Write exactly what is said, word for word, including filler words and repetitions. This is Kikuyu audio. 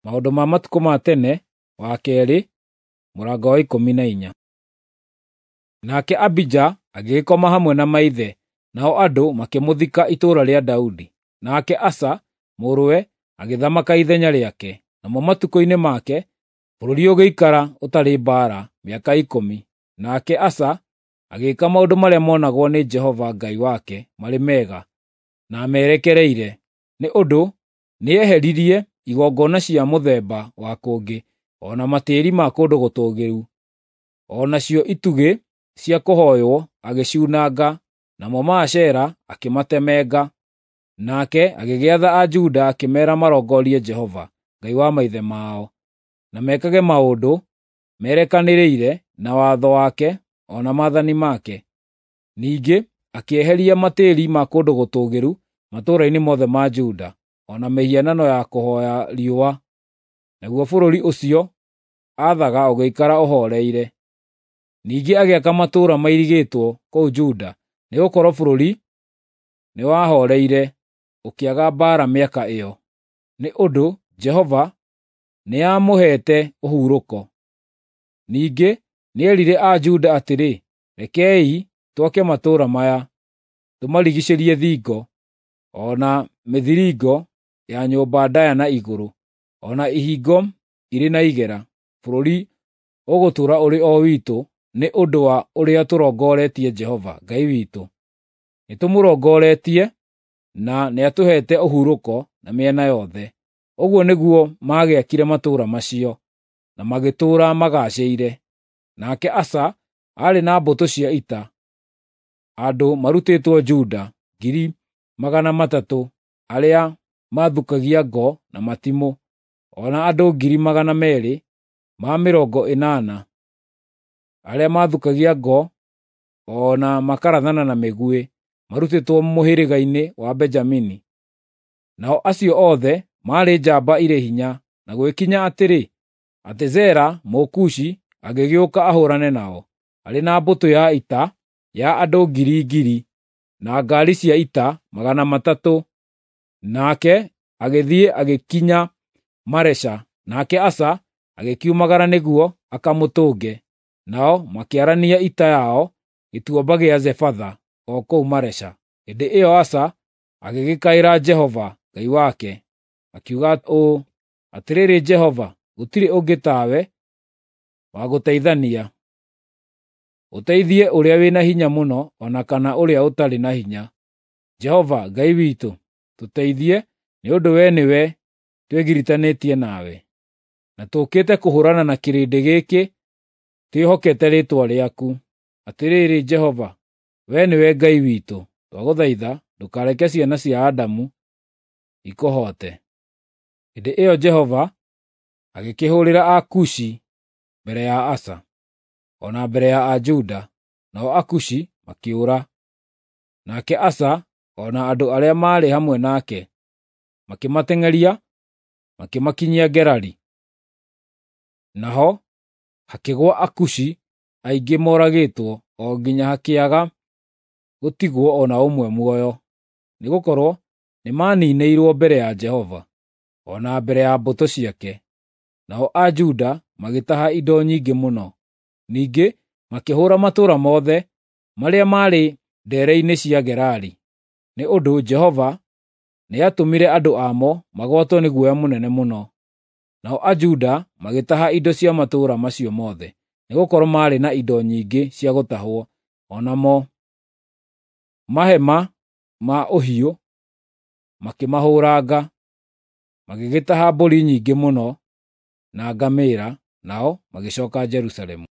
Maũndũ ma Matukũ ma Tene wa keerĩ, mũrango wa ikũmi na inya. Nake Abija agĩgĩkoma hamwe na maithe, nao andũ makĩmũthika itũũra rĩa Daudi. Nake Asa mũrũwe agĩthamaka ithenya rĩake. Namo matukũ-inĩ make bũrũri ũgĩikara ũtarĩ mbaara mĩaka ikũmi. Nake Asa agĩĩka maũndũ marĩa monagwo nĩ Jehova Ngai wake marĩ mega na merekereire, nĩ ũndũ nĩeheririe igongona cia mũthemba wa kũngĩ, o na matĩĩri ma kũndũ gũtũũgĩru, o nacio itugĩ cia kũhooywo agĩciunanga, namo Maashera akĩmatemenga. Nake agĩgĩatha Ajuda akĩmeera marongorie Jehova, Ngai wa maithe mao, na mekage maũndũ merekanĩrĩire na watho wake o na maathani make. Ningĩ akĩeheria matĩĩri ma kũndũ gũtũũgĩru matũũra-inĩ mothe ma Juda, o na mĩhianano ya kũhooya riũa. Naguo bũrũri ũcio aathaga ũgĩikara ũhooreire. Ningĩ agĩaka matũũra mairigĩtwo kũu Juda, nĩgũkorwo bũrũri nĩwahooreire, ũkĩaga mbaara mĩaka ĩyo, nĩ ũndũ Jehova nĩamũheete ũhurũko. Ningĩ nĩerire Ajuda atĩrĩ, “Rekei twake matũũra maya, tũmarigiicĩrie thingo, o na mĩthiringo ya nyũmba ndaaya na igũrũ, o na ihingo irĩ na igera. Bũrũri ũgũtũũra ũrĩ o witũ nĩ ũndũ wa ũrĩa tũrongoretie Jehova Ngai witũ. Nĩtũmũrongoretie na nĩatũheete ũhurũko na mĩena yothe.” Ũguo nĩguo maagĩakire matũũra macio, na magĩtũũra magaacĩire. Nake Asa aarĩ na mbũtũ cia ita, andũ marutĩtwo Juda ngiri magana matatũ arĩa maathukagia ngo na matimũ, o na andũ ngiri magana meerĩ ma mĩrongo ĩnana arĩa maathukagia ngo o na makarathana na mĩguĩ, marutĩtwo mũhĩrĩga-inĩ wa Benjamini. Nao acio othe maarĩ njamba irĩ hinya, na gũgĩkinya atĩrĩ, atĩ Zera Mũkushi agĩgĩũka ahũũrane nao, arĩ na mbũtũ ya ita ya andũ ngiri ngiri, na ngaari cia ita magana matatũ. Nake agĩthiĩ agĩkinya Maresha, nake Asa agĩkiumagara nĩguo akamũtũnge. Nao makĩarania ita yao gĩtuamba gĩa Zefatha o kũu Maresha. Hĩndĩ ĩyo Asa agĩgĩkaĩra Jehova Ngai wake, akiuga ũũ, “Atĩrĩrĩ Jehova, gũtirĩ ũngĩ tawe wa gũteithania, ũteithie ũrĩa wĩna hinya mũno o na kana ũrĩa ũtarĩ na hinya. Jehova Ngai witũ, tũteithie, nĩ ũndũ wee nĩwe twĩgiritanĩtie nawe, na tũũkĩte kũhũũrana na kĩrĩndĩ gĩkĩ twĩhokete rĩĩtwa rĩaku. Atĩrĩrĩ Jehova, wee nĩwe Ngai witũ, twagũthaitha ndũkareke ciana cia Adamu ikũhoote.” Hĩndĩ ĩyo Jehova agĩkĩhũũrĩra Akushi mbere ya Asa, o na mbere ya Ajuda, nao Akushi makĩũra. Nake Asa o na andũ arĩa maarĩ hamwe nake makĩmateng'eria makĩmakinyia Gerari. Naho hakĩgũa Akushi aingĩ moragĩtwo o nginya hakĩaga gũtigwo o na ũmwe muoyo, nĩgũkorwo nĩmaninĩirwo mbere ya Jehova, o na mbere ya mbũtũ ciake. Nao Ajuda magĩtaha indo nyingĩ mũno. Ningĩ makĩhũũra matũũra mothe marĩa maarĩ ndeere-inĩ cia Gerari, nĩ ũndũ Jehova nĩatũmire andũ amo magwatwo nĩ guoya mũnene mũno. Nao Ajuda magĩtaha indo cia matũũra macio mothe, nĩgũkorwo maarĩ na indo nyingĩ cia gũtahwo, o namo mahema ma ũhiũ makĩmahũranga. Magĩgĩtaha mbũri nyingĩ mũno na ngamĩĩra, nao magĩcooka Jerusalemu.